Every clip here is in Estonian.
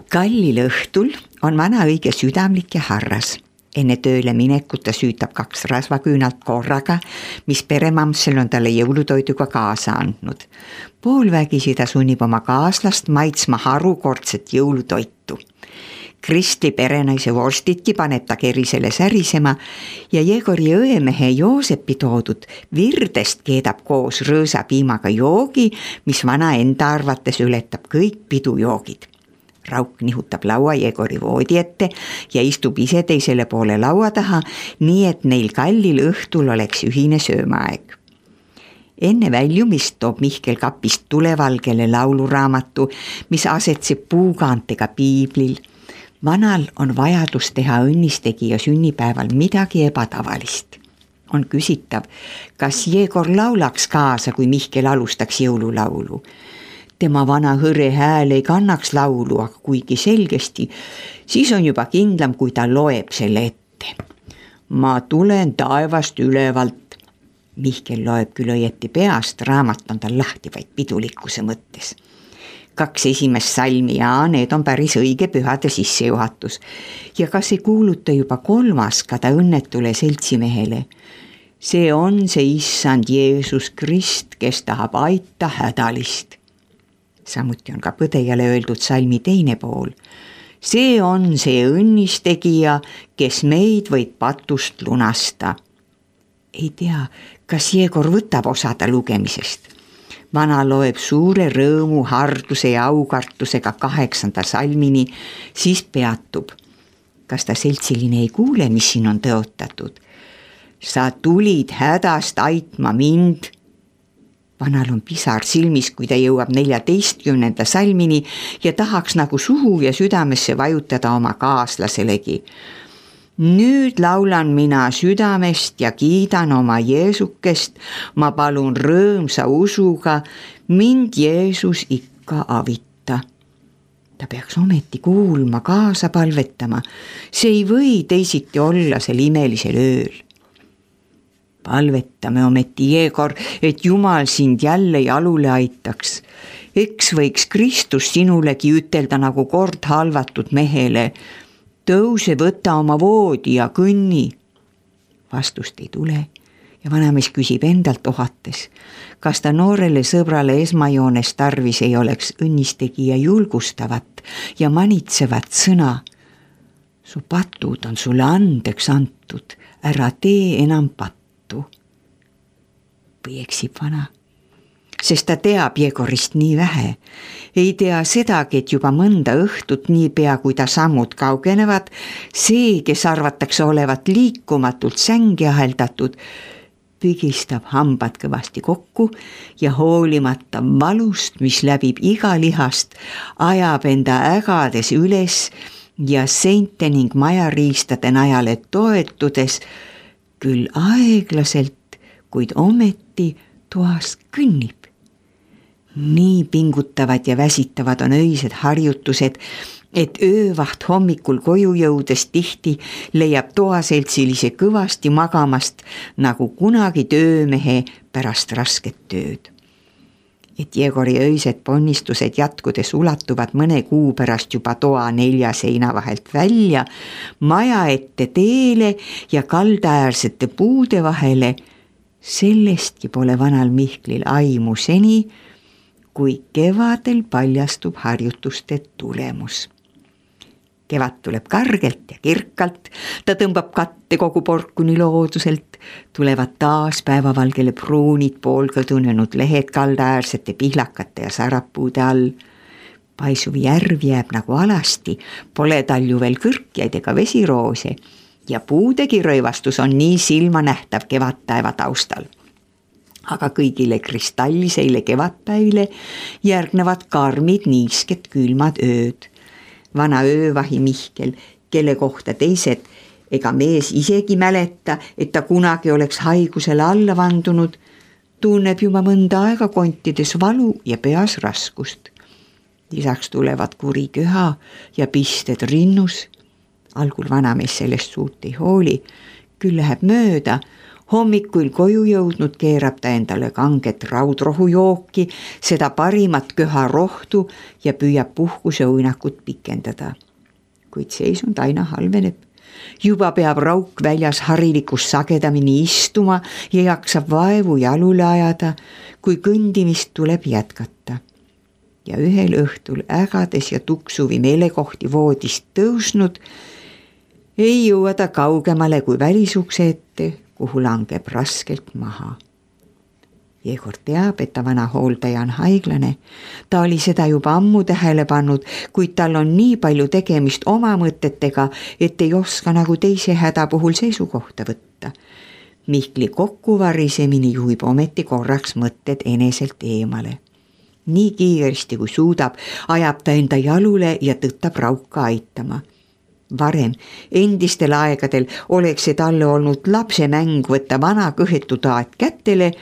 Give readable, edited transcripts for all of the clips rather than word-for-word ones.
Kallil õhtul on vana õige südamlik ja harras. Enne tööle minekut ta süütab 2 rasvaküünalt korraga, mis peremamsel on talle jõulutoiduga kaasa andnud. Poolvägisi ta sunnib oma kaaslast maitsma harukordset jõulutoitu. Kristli perenaise vorstitki paneb ta kerisele särisema ja Jegori õemehe Joosepi toodud virdest keedab koos rõõsapiimaga joogi, mis vana enda arvates ületab kõik pidujoogid. Rauk nihutab laua Jegori voodi ette ja istub ise teisele poole laua taha, nii et neil Kallil õhtul oleks ühine söömaaeg. Enne väljumist toob Mihkel kapist tulevalgele lauluraamatu, mis asetseb puukaantega piiblil. Vanal on vajadus teha õnnistegija sünnipäeval midagi ebatavalist. On küsitav, kas Jegor laulaks kaasa, kui Mihkel alustaks jõululaulu. Tema vana hõre hääl ei kannaks laulu, aga kuigi selgesti, siis on juba kindlam, kui ta loeb selle ette. Ma tulen taevast ülevalt. Mihkel loeb küll õieti peast, raamat on tal lahti vaid pidulikkuse mõttes. 2 esimest salmi ja need on päris õige pühade sissejuhatus. Ja kas ei kuuluta juba 3. ka ta õnnetule seltsimehele? See on see issand Jeesus Krist, kes tahab aita hädalist. Samuti on ka põdejale öeldud salmi teine pool. See on see õnnistegija, kes meid võib patust lunasta. Ei tea, kas Jegor võtab osada lugemisest. Vana loeb suure rõõmu, harduse ja aukartusega 8. salmini, siis peatub. Kas ta seltsiline ei kuule, mis siin on tõotatud? Sa tulid hädast aitma mind. Vanal on pisar silmis, kui ta jõuab 14. salmini ja tahaks nagu suhu ja südamesse vajutada oma kaaslaselegi. Nüüd laulan mina südamest ja kiidan oma Jeesukest, ma palun rõõmsa usuga, mind Jeesus ikka avita. Ta peaks ometi kuulma, kaasa palvetama, see ei või teisiti olla sel imelisel ööl. Palvetame ometi, Jegor, et Jumal sind jälle jalule aitaks. Eks võiks Kristus sinulegi ütelda nagu kord halvatud mehele, tõuse, võta oma voodi ja kõnni. Vastust ei tule ja vanamees küsib endalt ohates, kas ta noorele sõbrale esmajoones tarvis ei oleks õnnistegija julgustavat ja manitsevat sõna. Su patud on sulle andeks antud, ära tee enam pattu. Või eksib vana? Sest ta teab Jegorist nii vähe. Ei tea sedagi, et juba mõnda õhtut niipea, kui ta sammud kaugenevad, see, kes arvatakse olevat liikumatult sängi aheldatud, pigistab hambad kõvasti kokku ja hoolimata valust, mis läbib iga lihast, ajab enda ägades üles ja seinte ning majariistade najale toetudes, küll aeglaselt, kuid ometi toas kõnnib. Nii pingutavad ja väsitavad on öised harjutused, et öövaht hommikul koju jõudes tihti leiab toaseltsilise kõvasti magamast nagu kunagi töömehe pärast rasket tööd. Et Jegori öised ponnistused jätkudes ulatuvad mõne kuu pärast juba toa 4 seina vahelt välja, maja ette teele ja kaldaäärsete puude vahele, sellestki pole vanal Mihklil aimu seni, kui kevadel paljastub harjutuste tulemus. Kevad tuleb kargelt ja kirkalt, ta tõmbab katte kogu porkuni looduselt, tulevad taas päevavalgele pruunid poolkõdunenud lehed kaldaäärsete pihlakate ja sarapuude all. Paisuv järv jääb nagu alasti, pole tal ju veel kõrkjaid ega vesiroose ja puudegi rõivastus on nii silmanähtav kevadtaeva taustal. Aga kõigile kristalliseile kevadpäivile järgnevad karmid niisked külmad ööd. Vana öövahi Mihkel, kelle kohta teised ega mees isegi mäleta, et ta kunagi oleks haigusele alla vandunud, tunneb juba mõnda aega kontides valu ja peas raskust. Lisaks tulevad kuri köha ja pisted rinnus. Algul vanamees sellest suurt ei hooli, küll läheb mööda. Hommikuil koju jõudnud keerab ta endale kanget raudrohujooki, seda parimat köharohtu ja püüab puhkuse uinakut pikendada. Kuid seisund aina halveneb. Juba peab Rauk väljas harilikust sagedamini istuma ja jaksab vaevu jalule ajada, kui kõndimist tuleb jätkata. Ja ühel õhtul ägades ja tuksuvi meelekohti voodist tõusnud, ei jõua ta kaugemale kui välisukse ette, kuhu langeb raskelt maha. Jegor teab, et ta vana hooldaja on haiglane. Ta oli seda juba ammu tähele pannud, kuid tal on nii palju tegemist oma mõtetega, et ei oska nagu teise häda puhul seisukohta võtta. Mihkli kokkuvarisemini juhib ometi korraks mõtted eneselt eemale. Nii kiiresti kui suudab, ajab ta enda jalule ja tõttab Rauka aitama. Varem, endistel aegadel oleks see talle olnud lapse mäng võtta vana kõhetu taat kätele,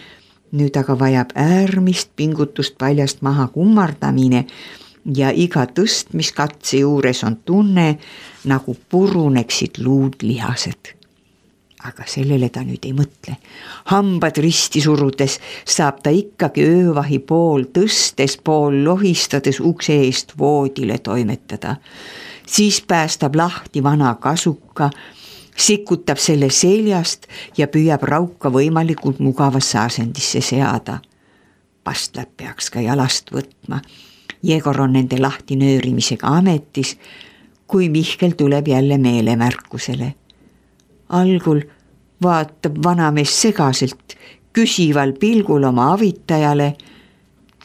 nüüd aga vajab äärmist pingutust paljast maha kummardamine ja iga tõstmiskatse juures on tunne, nagu puruneksid luud lihased. Aga sellele ta nüüd ei mõtle. Hambad risti surudes saab ta ikkagi öövahi pool tõstes, pool lohistades ukse eest voodile toimetada. Siis päästab lahti vana kasuka, sikutab selle seljast ja püüab Rauka võimalikult mugavasse asendisse seada. Pastlad peaks ka jalast võtma. Jegor on nende lahtinöörimisega ametis, kui Mihkel tuleb jälle meelemärkusele. Algul vaatab vanamees segaselt, küsival pilgul oma avitajale,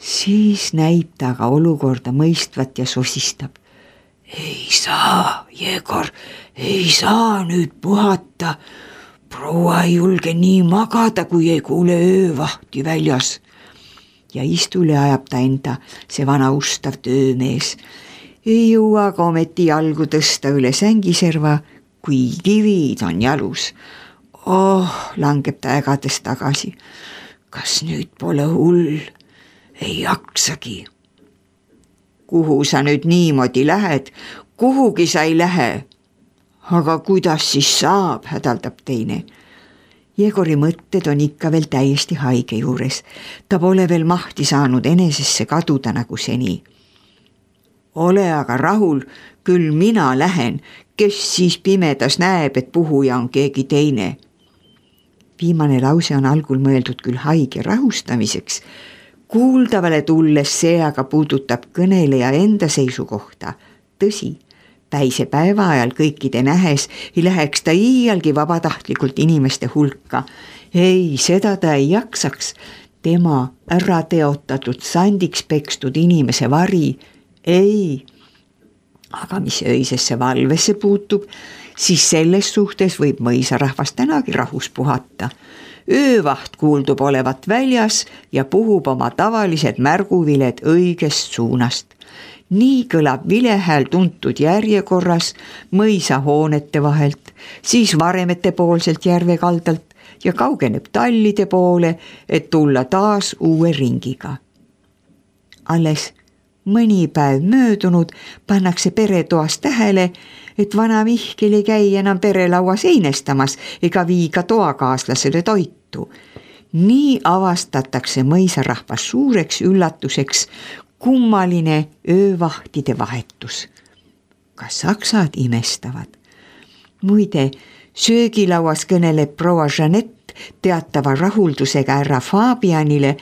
siis näib ta aga olukorda mõistvat ja sosistab. Ei saa, Jegor, ei saa nüüd puhata. Proua ei julge nii magada, kui ei kuule öövahti väljas. Ja istule ajab ta enda, see vana ustav töömees. Ei jõua ka ometi jalgu tõsta üle sängiserva, kui kivid on jalus. Langeb ta ägades tagasi. Kas nüüd pole hull? Ei jaksagi. Kuhu sa nüüd niimoodi lähed? Kuhugi sa ei lähe. Aga kuidas siis saab, hädaldab teine. Jegori mõtted on ikka veel täiesti haige juures. Ta pole veel mahti saanud enesesse kaduda nagu seni. Ole aga rahul, küll mina lähen, kes siis pimedas näeb, et puhuja on keegi teine. Viimane lause on algul mõeldud küll haige rahustamiseks, kuuldavale tulles see aga puudutab kõneleja enda seisukohta. Tõsi, päise päeva ajal kõikide nähes ei läheks ta iialgi vabatahtlikult inimeste hulka. Ei, seda ta ei jaksaks. Tema ära teotatud sandiks pekstud inimese vari. Ei. Aga mis öisesse valvesse puutub, siis selles suhtes võib mõisarahvas tänagi rahus puhata. Öövaht kuuldub olevat väljas ja puhub oma tavalised märguviled õigest suunast. Nii kõlab vilehääl tuntud järjekorras mõisahoonete vahelt, siis varemete poolselt järve kaldalt ja kaugeneb tallide poole, et tulla taas uue ringiga. Alles mõni päev möödunud pannakse peretoas tähele, et vana Mihkel ei käi enam perelauas einestamas ega vii ka toakaaslasele toitu. Nii avastatakse mõisarahvas suureks üllatuseks kummaline öövahtide vahetus. Ka saksad imestavad. Muide, söögilauas kõneleb proua Jeanette teatava rahuldusega härra Fabianile,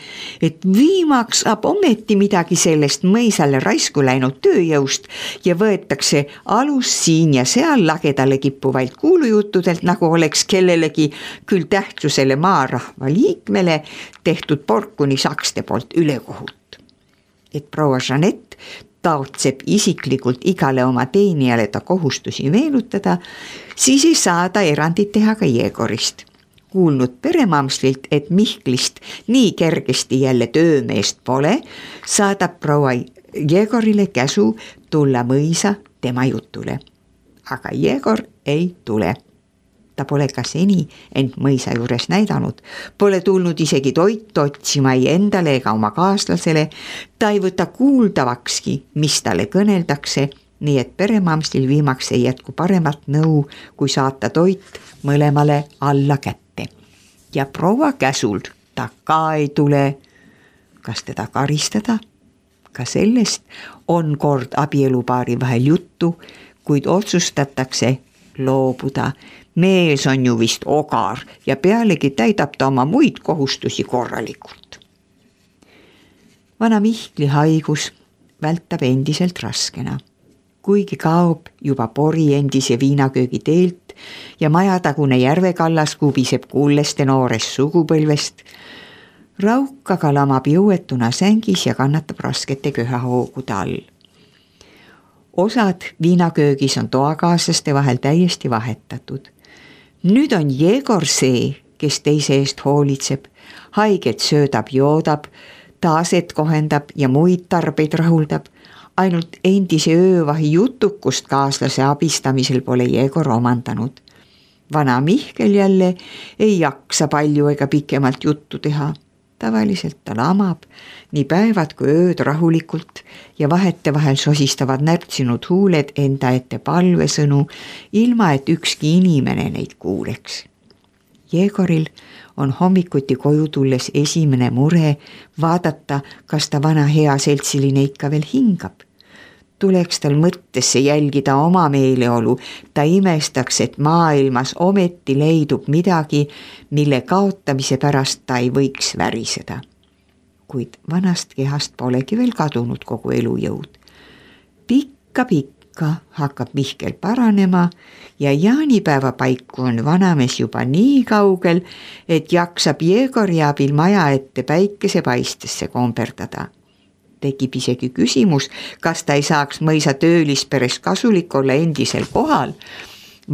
et viimaks saab ometi midagi sellest mõisale raisku läinud tööjõust ja võetakse alus siin ja seal lagedale kippuvalt kuulujuttudelt, nagu oleks kellelegi küll tähtsusele maarahva liikmele tehtud porkuni sakste poolt ülekohut. Et proua Jeanette taotseb isiklikult igale oma teenijale ta kohustusi meenutada, siis ei saa ta erandit teha ka Jegorist. Kuulnud peremamslilt, et Mihklist nii kergesti jälle töömeest pole, saadab proua Jegorile käsu tulla mõisa tema jutule. Aga Jegor ei tule. Ta pole ka seni end mõisa juures näidanud, pole tulnud isegi toitu otsima ei endale ega oma kaaslasele, ta ei võta kuuldavakski, mis talle kõneldakse, nii et peremamslil viimaks ei jätku paremat nõu, kui saata toit mõlemale alla kätte. ja proua käsul ta ka ei tule. Kas teda karistada? Ka sellest on kord abielupaari vahel juttu, kuid otsustatakse loobuda. Mees on ju vist ogar ja pealegi täidab ta oma muid kohustusi korralikult. Vana Mihkli haigus vältab endiselt raskena. Kuigi kaob juba pori endise viinaköögi teelt ja majatagune järvekallas kubiseb kulleste noorest sugupõlvest, Rauk aga lamab jõuetuna sängis ja kannatab raskete köhahoogude all. Osad viinaköögis on toakaaslaste vahel täiesti vahetatud. Nüüd on Jegor see, kes teise eest hoolitseb, haiget söödab, joodab, taaset kohendab ja muid tarbeid rahuldab. Ainult endise öövahi jutukust kaaslase abistamisel pole Jegor omandanud. Vana Mihkel jälle ei jaksa palju ega pikemalt juttu teha. Tavaliselt ta lamab nii päevad kui ööd rahulikult ja vahetevahel sosistavad närtsinud huuled enda ette palvesõnu, ilma et ükski inimene neid kuuleks. Jegoril on hommikuti koju tulles esimene mure vaadata, kas ta vana hea seltsiline ikka veel hingab. Tuleks tal mõttesse jälgida oma meeleolu, ta imestaks, et maailmas ometi leidub midagi, mille kaotamise pärast ta ei võiks väriseda. Kuid vanast kehast polegi veel kadunud kogu elujõud. Pikka hakkab Mihkel paranema ja jaanipäeva paiku on vanamees juba nii kaugel, et jaksab Jegori abil maja ette päikesepaistesse komberdada. Tekib isegi küsimus, kas ta ei saaks mõisa töölisperes kasulik olla endisel kohal.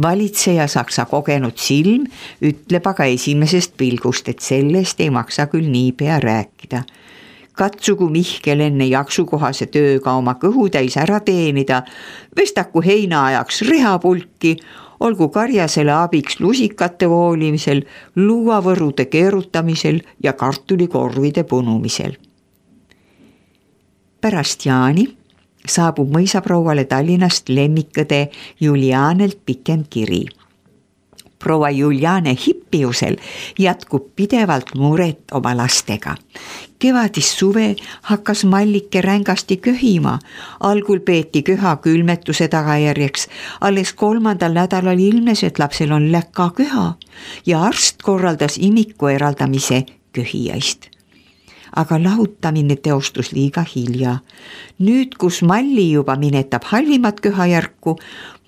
Valitseja Saksa kogenud silm ütleb aga esimesest pilgust, et sellest ei maksa küll niipea rääkida. Katsugu Mihkel enne jaksukohase tööga oma kõhutäis ära teenida, vestaku heinaajaks rehapulki, olgu karjasele abiks lusikate voolimisel, luuavõrude keerutamisel ja kartulikorvide punumisel. Pärast jaani saabub mõisaprouale Tallinnast lemmikõde Julianelt pikem kiri. Proua Juliane Hippiusel jätkub pidevalt muret oma lastega. Kevadis suve hakkas Mallike rängasti köhima. Algul peeti köha külmetuse tagajärjeks. Alles 3. nädalal ilmnes, et lapsel on läka köha ja arst korraldas imiku eraldamise köhijaist. Aga lahutamine teostus liiga hilja. Nüüd, kus Malli juba minetab halvimat köhajärku,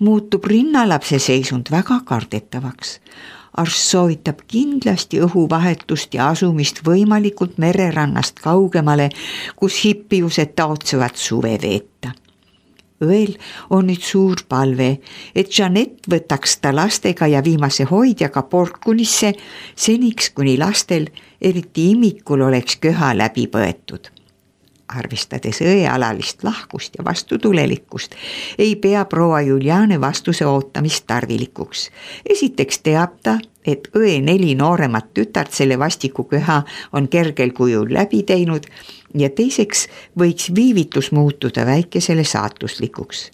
muutub rinnalapse seisund väga kardetavaks. Arst soovitab kindlasti õhuvahetust ja asumist võimalikult mererannast kaugemale, kus hippiused taotsevad suve veeta. Õel on nüüd suur palve, et Jeanette võtaks ta lastega ja viimase hoidjaga Porkunisse seniks, kuni lastel, eriti imikul, oleks köha läbi põetud. Arvestades õe alalist lahkust ja vastutulelikkust, ei pea proua Juliane vastuse ootamist tarvilikuks. Esiteks teab ta, et õe 4 nooremat tütart selle vastiku köha on kergel kujul läbi teinud ja teiseks võiks viivitus muutuda väikesele saatuslikuks.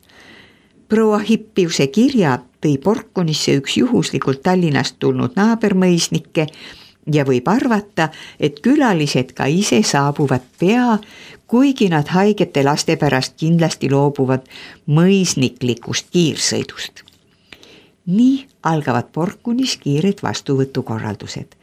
Proua Hippiuse kirja tõi Porkunisse üks juhuslikult Tallinnast tulnud naabermõisnikke ja võib arvata, et külalised ka ise saabuvad pea, kuigi nad haigete laste pärast kindlasti loobuvad mõisniklikust kiirsõidust. Nii algavad Porkunis kiired vastuvõtukorraldused.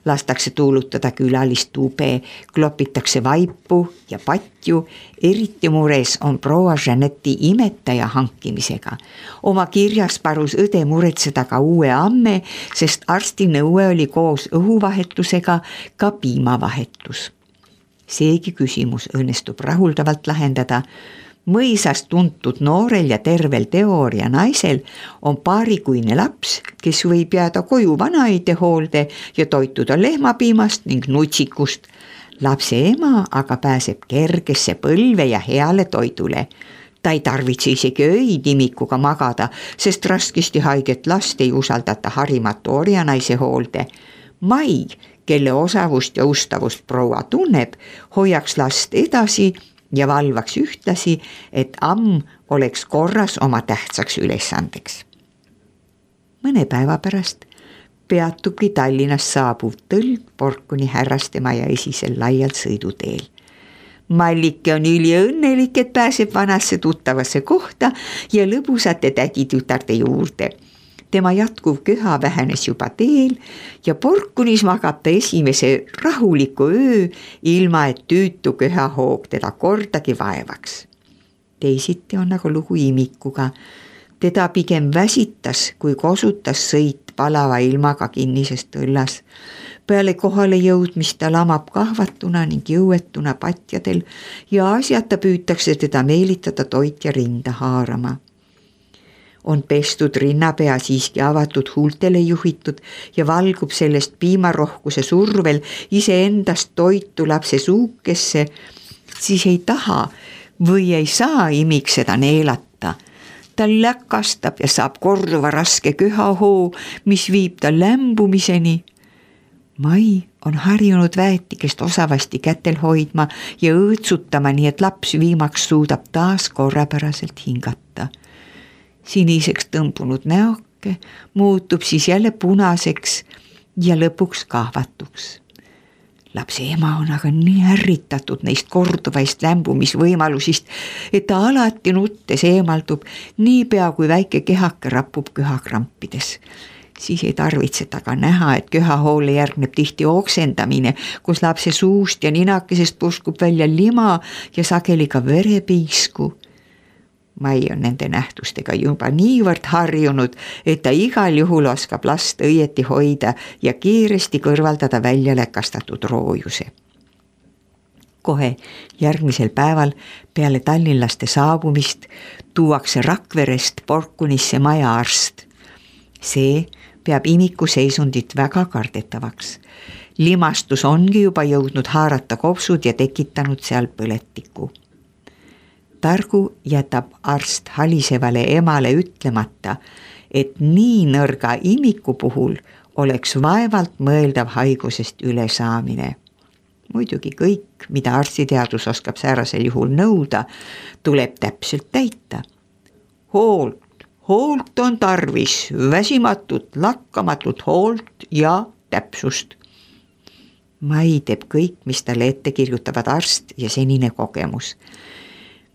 Lastakse tuulutada külalist tube, klopitakse vaipu ja patju, eriti mures on proua Jeanette'i imetaja hankimisega. Oma kirjas palus õde muretseda ka uue amme, sest arsti nõue oli koos õhuvahetusega ka piimavahetus. Seegi küsimus õnnestub rahuldavalt lahendada. Mõisast tuntud noorel ja tervel teooria naisel on paarikuine laps, kes võib jääda koju vanaide hoolde ja toituda lehmapiimast ning nutsikust. Lapse ema aga pääseb kergesse põlve ja heale toidule. Ta ei tarvitse isegi öid imikuga magada, sest raskesti haiget last ei usaldata harimatu orjanaise hoolde. Mai, kelle osavust ja ustavust proua tunneb, hoiaks last edasi ja valvaks ühtlasi, et amm oleks korras oma tähtsaks ülesandeks. Mõne päeva pärast peatubki Tallinnast saabuv tõlg Porkuni härrastemaja esisel laialt sõiduteel. Mallike on üliõnnelik, et pääseb vanasse tuttavasse kohta ja lõbusate täditütarde juurde. Tema jätkuv köha vähenes juba teel ja Porkunis magab ta esimese rahuliku öö, ilma et tüütu köhahoog teda kordagi vaevaks. Teisiti on nagu lugu imikuga. Teda pigem väsitas, kui kosutas sõit palava ilmaga kinnisest õllas. Peale kohale jõudmist ta lamab kahvatuna ning jõuetuna patjadel ja asjata püütakse teda meelitada toit ja rinda haarama. On pestud rinnapea siiski avatud huultele juhitud ja valgub sellest piimarohkuse survel iseendast toitu lapse suukesse, siis ei taha või ei saa imik seda neelata. Ta läkastab ja saab korduva raske köhahoo, mis viib ta lämbumiseni. Mai on harjunud väetikest osavasti kätel hoidma ja õõtsutama, nii et laps viimaks suudab taas korrapäraselt hingata. Siniseks tõmbunud näoke muutub siis jälle punaseks ja lõpuks kahvatuks. Lapse ema on aga nii ärritatud neist korduvaist lämbumisvõimalusist, et ta alati nuttes eemaldub niipea, kui väike kehake rapub köhakrampides. Siis ei tarvitseta ka näha, et köhahoole järgneb tihti oksendamine, kus lapse suust ja ninakesest puskub välja lima ja sageli ka verepiisku. Mai on nende nähtustega juba niivõrd harjunud, et ta igal juhul oskab last õieti hoida ja kiiresti kõrvaldada välja läkastatud roojuse. Kohe järgmisel päeval peale tallinlaste saabumist tuuakse Rakverest Porkunisse majaarst. See peab imiku seisundit väga kardetavaks. Limastus ongi juba jõudnud haarata kopsud ja tekitanud seal põletiku. Targu jätab arst halisevale emale ütlemata, et nii nõrga imiku puhul oleks vaevalt mõeldav haigusest ülesaamine. Muidugi kõik, mida arstiteadus oskab säärasel juhul nõuda, tuleb täpselt täita. Hoolt on tarvis, väsimatut, lakkamatut hoolt ja täpsust. Mai teeb kõik, mis talle ette kirjutavad arst ja senine kogemus.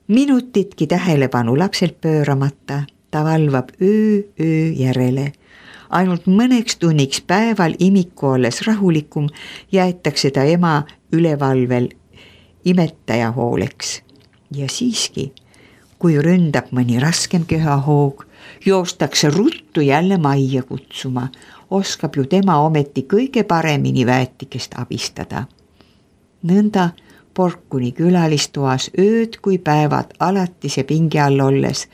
Minutitki tähelepanu lapselt pööramata, ta valvab öö järele. Ainult mõneks tunniks päeval imiku olles rahulikum jäetakse ta ema ülevalvel imetaja hooleks. Ja siiski, kui ründab mõni raskem köhahoog, joostakse ruttu jälle majja kutsuma. Oskab ju tema ometi kõige paremini väetikest abistada. Nõnda Porkuni külalistoas ööd kui päevad alatise pingi all olles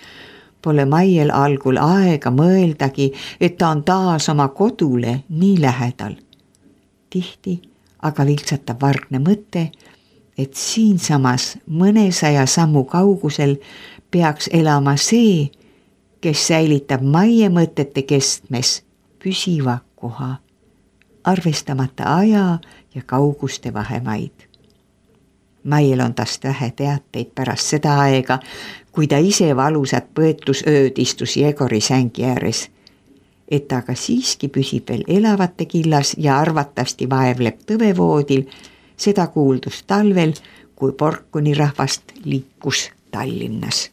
pole Maiel algul aega mõeldagi, et ta on taas oma kodule nii lähedal. Tihti aga viltsatab vargne mõte, et siinsamas mõnesaja sammu kaugusel peaks elama see, kes säilitab Maie mõtete kestmes püsiva koha, arvestamata aja ja kauguste vahemaid. Maiel on tast vähe teateid pärast seda aega, kui ta ise valusat põetusööd istus Jegori sängi ääres, et ta aga siiski püsib veel elavate killas ja arvatavasti vaevleb tõvevoodil, seda kuuldus talvel, kui Porkuni rahvast liikus Tallinnas.